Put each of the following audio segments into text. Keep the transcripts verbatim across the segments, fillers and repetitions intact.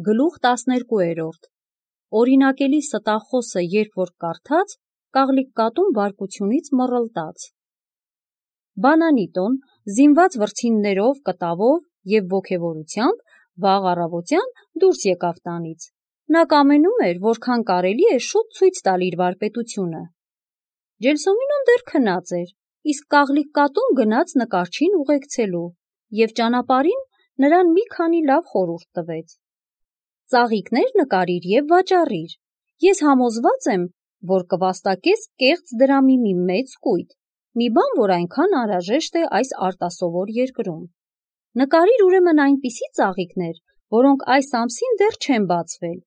Գլուխ տասներկուերորդ Օրինակելի ստախոսը երբ որ կարդաց, կաղլիկ կատուն բարկությունից մռլտաց։ Բանանիտոն, զինված վրձիններով, կտավով և ոգևորությամբ, վաղ առավոտյան դուրս եկավ տանից։ Նա կամենում էր, որքան կարելի է շուտ ցույց տալ իր վարպետությունը։ Ջելսոմինոն դեռ քնած էր, իսկ կաղլիկ կատուն գնաց նկարչին ուղեկցելու և ճանապարհին նրան մի քանի լավ խորհուրդ տվեց. «Ծաղիկներ նկարիր և վաճառիր, ես համոզված եմ, որ կվաստակես կեղծ դրամի մի մեծ կույտ, մի բան, որ այնքան անհրաժեշտ է այս արտասովոր երկրում։ Նկարիր ուրեմն այնպիսի ծաղիկներ, որոնք այս ամսին դեռ չեն բացվել։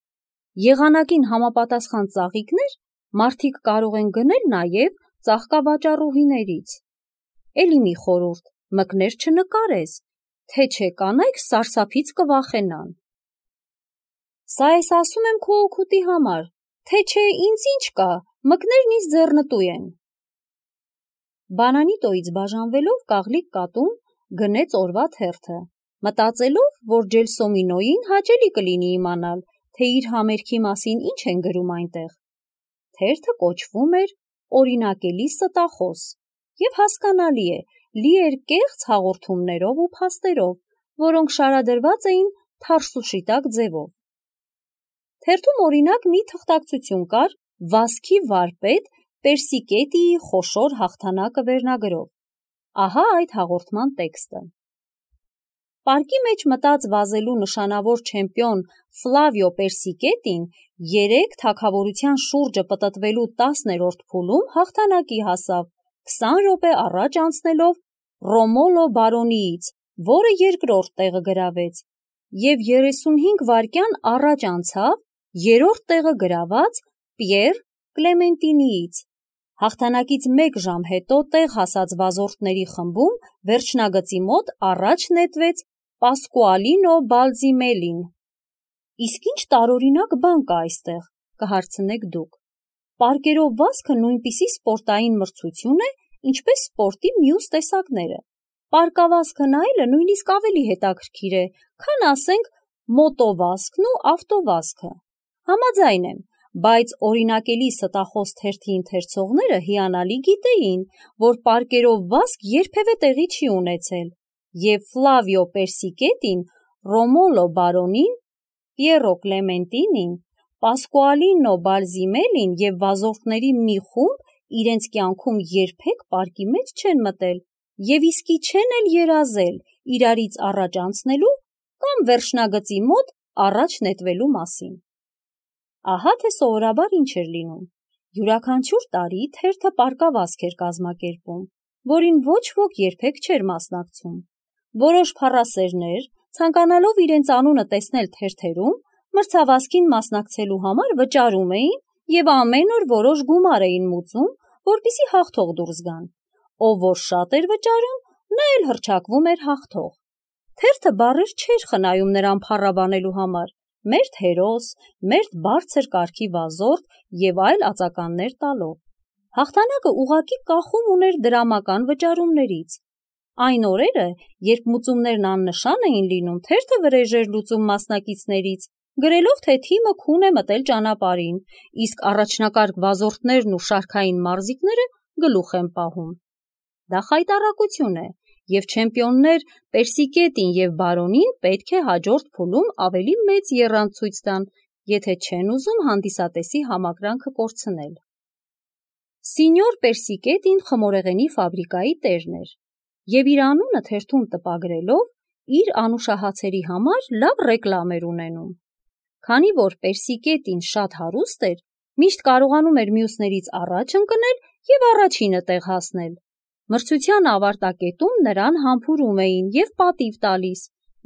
Եղանակին համապատասխան ծաղիկներ մարդիկ կարող են գնել նաև ծաղկավաճառուհիներից։ Էլի մի խորհուրդ, մկներ չնկարես, թե չէ կանայք սարսափից կվախենան»։ «Սա ես ասում եմ քո օգուտի համար, թե չէ ինձ ինչ կա, մկներն ինձ ձեռնտու են»։ Բանանիտոյից բաժանվելով կաղլիկ կատուն գնեց օրվա թերթը, մտածելով, որ Ջելսոմինոյին հաճելի կլինի իմանալ, թե իր համերգի մասին ինչ են գրում այնտեղ։ Թերթը կոչվում էր «Օրինակելի ստախոս» և հասկանալի է, լի էր կեղծ հաղորդումներով ու փաստերով, որոնք շարադրված էին թարսուշիտակ ձևով։ Թերթում օրինակ մի թղթակցություն կար «Վասքի վարպետ Պերսիկետիի խոշոր հաղթանակը» վերնագրով։ Ահա այդ հաղորդման տեքստը. Պարկի մեջ մտած վազելու նշանավոր չեմպիոն Ֆլավիո Պերսիկետին երեկ թագավորության շուրջը պտտվելու տասներորդ փուլում հաղթանակի հասավ, քսան րոպե առաջ անցնելով Ռոմոլո բարոնիից, որը երկրորդ տեղը գրավեց, և երեսունհինգ վայրկյան առաջ անցավ երրորդ տեղը գրաված Պիեր Կլեմենտինիից։ Հաղթանակից մեկ ժամ հետո տեղ հասած վազորդների խմբում վերջնագծի մոտ առաջ նետվեց Պասկուալինո Բալզիմելին։ Իսկ ինչ տարօրինակ բան կա այստեղ, կհարցնեք դուք։ Պարկերով վազքը նույնպիսի սպորտային մրցություն է, ինչպես սպորտի մյուս տեսակները։ Պարկավազքը նայելը նույնիսկ ավելի հետաքրքիր է, քան ասենք մոտովազքն ու ավտովազքը։ Համաձայն եմ, բայց օրինակելի ստախոս թերթի ընթերցողները հիանալի գիտեին, որ պարկերով վազք երբևէ տեղի չի ունեցել, և Ֆլավիո Պերսիկետին, Ռոմոլո բարոնին, Պիերո Կլեմենտինին, Պասկուալինո Բալզիմելին և վազորդների մի խումբ իրենց կյանքում երբեք պարկի մեջ չեն մտել և իսկի չեն էլ երազել իրարից առաջ անցնելու կամ վերջնագծի մոտ առաջ նետվելու մասին։ Ահա թե սովորաբար ինչ էր լինում. յուրաքանչյուր տարի թերթը պարկավազք էր կազմակերպում, որին ոչ ոք երբեք չէր մասնակցում։ Որոշ փառասերներ, ցանկանալով իրենց անունը տեսնել թերթերում, մրցավազքին մասնակցելու համար վճարում էին և ամեն օր որոշ գումար էին մուծում, որպեսզի հաղթող դուրս գան։ Ով որ շատ էր վճարում, նա էլ հռչակվում էր հաղթող։ Թերթը բառեր չէր խնայում նրան փառաբանելու համար, մերթ հերոս, մերթ բարձր կարգի վազորդ և այլ ածականներ տալով։ Հաղթանակը ուղղակի կախում ուներ դրամական վճարումներից։ Այն օրերը, երբ մուծումներն աննշան էին լինում, թերթը վրեժ էր լուծում մասնակիցներից, գրելով, թե թիմը քուն է մտել ճանապարհին, իսկ առաջնակարգ վազորդներն ու շարքային մարզիկները գլուխ են պահում։ Դա խայտառակություն է, և չեմպիոններ Պերսիկետին և բարոնին պետք է հաջորդ փուլում ավելի մեծ եռանդ ցույց տան, եթե չեն ուզում հանդիսատեսի համակրանքը կորցնել։ Սինյոր Պերսիկետին խմորեղենի ֆաբրիկայի տերն էր, և իր անունը թերթում տպագրելով, իր անուշահացերի համար լավ ռեկլամ էր ունենում։ Քանի որ Պերսիկետին շատ հարուստ էր, միշտ կարողանում էր մյուսներից առաջ ընկնել և առաջինը տեղ հասնել։ Մրցության ավարտակետում նրան համբուրում էին և պատիվ տալիս,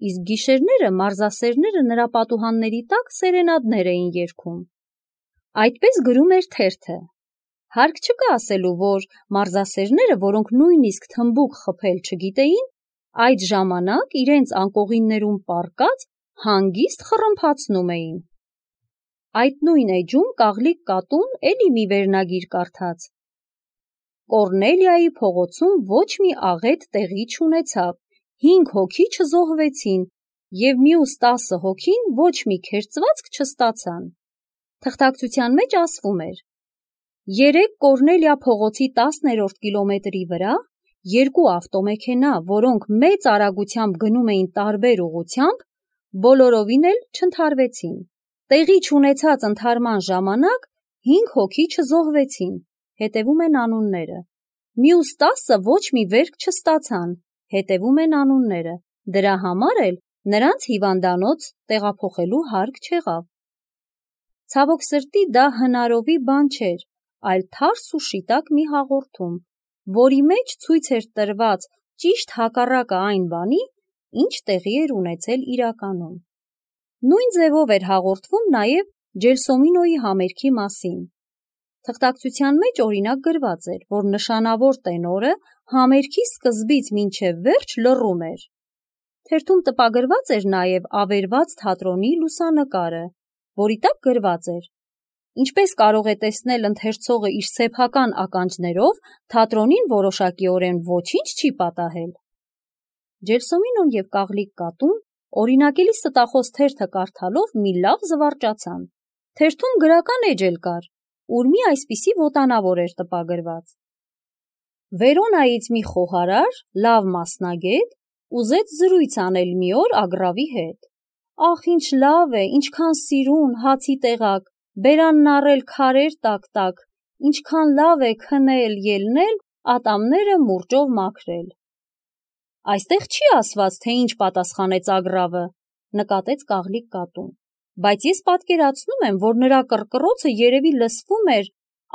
իսկ գիշերները մարզասերները նրա պատուհանների տակ սերենադներ էին երգում։ Այդպես գրում էր թերթը։ Հարկ չկա ասելու, որ մարզասերները, որոնք նույնիսկ թմբուկ խփել չգիտեին, այդ ժամանակ իրենց անկողիններում պառկած հանգիստ խռմփացնում էին։ Այդ նույն էջում կաղլիկ կատուն էլի մի վերնագիր կարդաց. Կոռնելիայի փողոցում ոչ մի աղետ տեղի չունեցավ, հինգ հոգի չզոհվեցին, և մյուս տասը հոգին ոչ մի քերծվածք չստացան։ Թղթակցության մեջ ասվում էր. երեք Կորնելիա փողոցի տասներորդ կիլոմետրի վրա երկու ավտոմեքենա, որոնք մեծ արագությամբ գնում էին տարբեր ուղղությամբ, բոլորովին էլ չընդհարվեցին։ Տեղի չունեցած ընդհարման ժամանակ հինգ հոգի չզոհվեցին, հետևում են անունները։ Մյուս տասը ոչ մի վերք չստացան, հետևում են անունները։ Դրա համար էլ նրանց հիվանդանոց տեղափոխելու հարկ չեղավ։ Ցավոք սրտի դա հնարովի բան չէր, այլ թարս ու շիտակ մի հաղորդում, որի մեջ ցույց էր տրված ճիշտ հակառակը այն բանի, ինչ տեղի էր ունեցել իրականում։ Նույն ձևով էր հաղորդվում նաև Ջելսոմինոյի համերգի մասին։ Թղթակցության մեջ օրինակ գրված էր, որ նշանավոր տենորը համերգի սկզբից մինչև վերջ լռում էր։ Թերթում տպագրված էր նաև ավերված թատրոնի լուսանկարը, որի տակ գրված էր. ինչպես կարող է տեսնել ընթերցողը իր սեփական ականջներով, թատրոնին որոշակիորեն ոչինչ չի պատահել։ Ջելսոմինոն և Կաղլիկ կատուն օրինակելի ստախոս թերթը կարդալով մի լավ զվարճացան։ Թերթում գրական էջ էլ կար, ուր մի այսպիսի ոտանավոր էր տպագրված. Վերոնայից մի խոհարար, լավ մասնագետ, ուզեց զրույց անել մի օր Ագրավի հետ։ Ախ, ինչ լավ է, ինչքան սիրուն, հացի տեղակ, բերանն առել քարեր տակ-տակ, ինչքան լավ է քնել, ելնել, ատամները մուրճով մաքրել։ Այստեղ չի ասված, թե ինչ պատասխանեց Ագրավը, նկատեց Կաղլիկ կատուն, բայց ես պատկերացնում եմ, որ նրա կռկռոցը երևի լսվում էր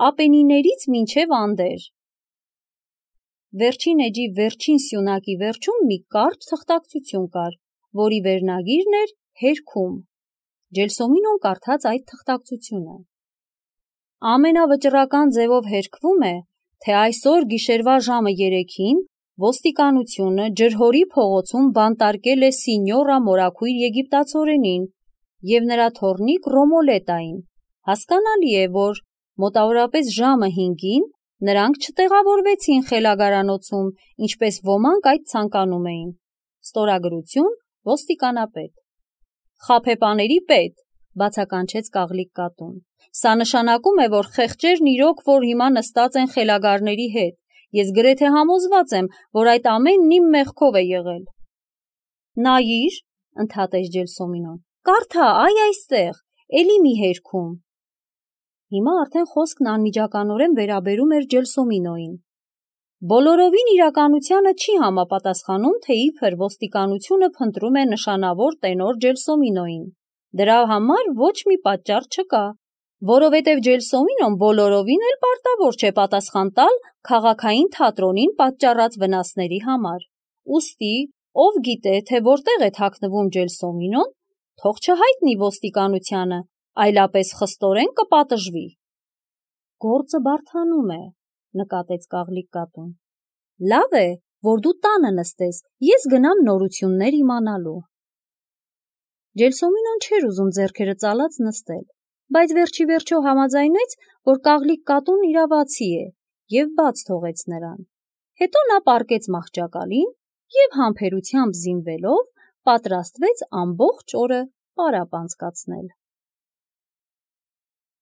Ապենիներից մինչև Անդեր։ Վերջին էջի վերջին սյունակի վերջում մի կարճ թղթակցություն կար, որի վերնագիրն էր «Հերքում»։ Ջելսոմինոն կարդաց այդ թղթակցությունը։ Ամենավճռական ձևով հերքվում է, թե այսօր գիշերվա ժամը երեքին ոստիկանությունը Ջրհորի փողոցում բանտարկել է Սինյորա մորաքույր եգիպտացորենին և նրա թոռնիկ Ռոմոլետային։ Հասկանալի է, որ մոտավորապես ժամը հինգին նրանք չտեղավորվեցին խելագարանոցում, ինչպես ոմանք այդ ցանկանում էին։ Ստորագրություն ոստիկանապետ։ Խաբեբաների պետ, բացականչեց Կաղլիկ կատուն։ Սա նշանակում է, որ խեղճերն իրոք որ հիմա նստած են խելագարների հետ։ Ես գրեթե համոզված եմ, որ այդ ամենն իմ մեղքով է եղել։ Նայիր, ընդհատեց Ջելսոմինոն, կարդա, այ այստեղ, էլի մի հերքում։ Հիմա արդեն խոսքն անմիջականորեն վերաբերում էր Ջելսոմինոյին։ Բոլորովին իրականությանը չի համապատասխանում, թե իբր ոստիկանությունը փնտրում է նշանավոր տենոր Ջելսոմինոյին։ Դրա համար ոչ մի պատճառ չկա, որովհետև Ջելսոմինոն բոլորովին էլ պարտավոր չէ պատասխան տալ քաղաքային թատրոնին պատճառած վնասների համար։ Ուստի, ով գիտե, թե որտեղ է թաքնվում Ջելսոմինոն, թող չհայտնի ոստիկանությանը, այլապես խստորեն կպատժվի։ Գործը բարդանում է, նկատեց Կաղլիկ կատուն։ Լավ է, որ դու տանը նստես, ես գնամ նորություններ իմանալու։ Ջելսոմինոն չէր ուզում ձեռքերը ծալած նստել, բայց վերջի վերջո համաձայնեց, որ Կաղլիկ կատուն իրավացի է և բաց թողեց նրան։ Հետո նա պառկեց մահճակալին և համբերությամբ զինվելով պատրաստվեց ամբողջ օրը պարապ անցկացնել։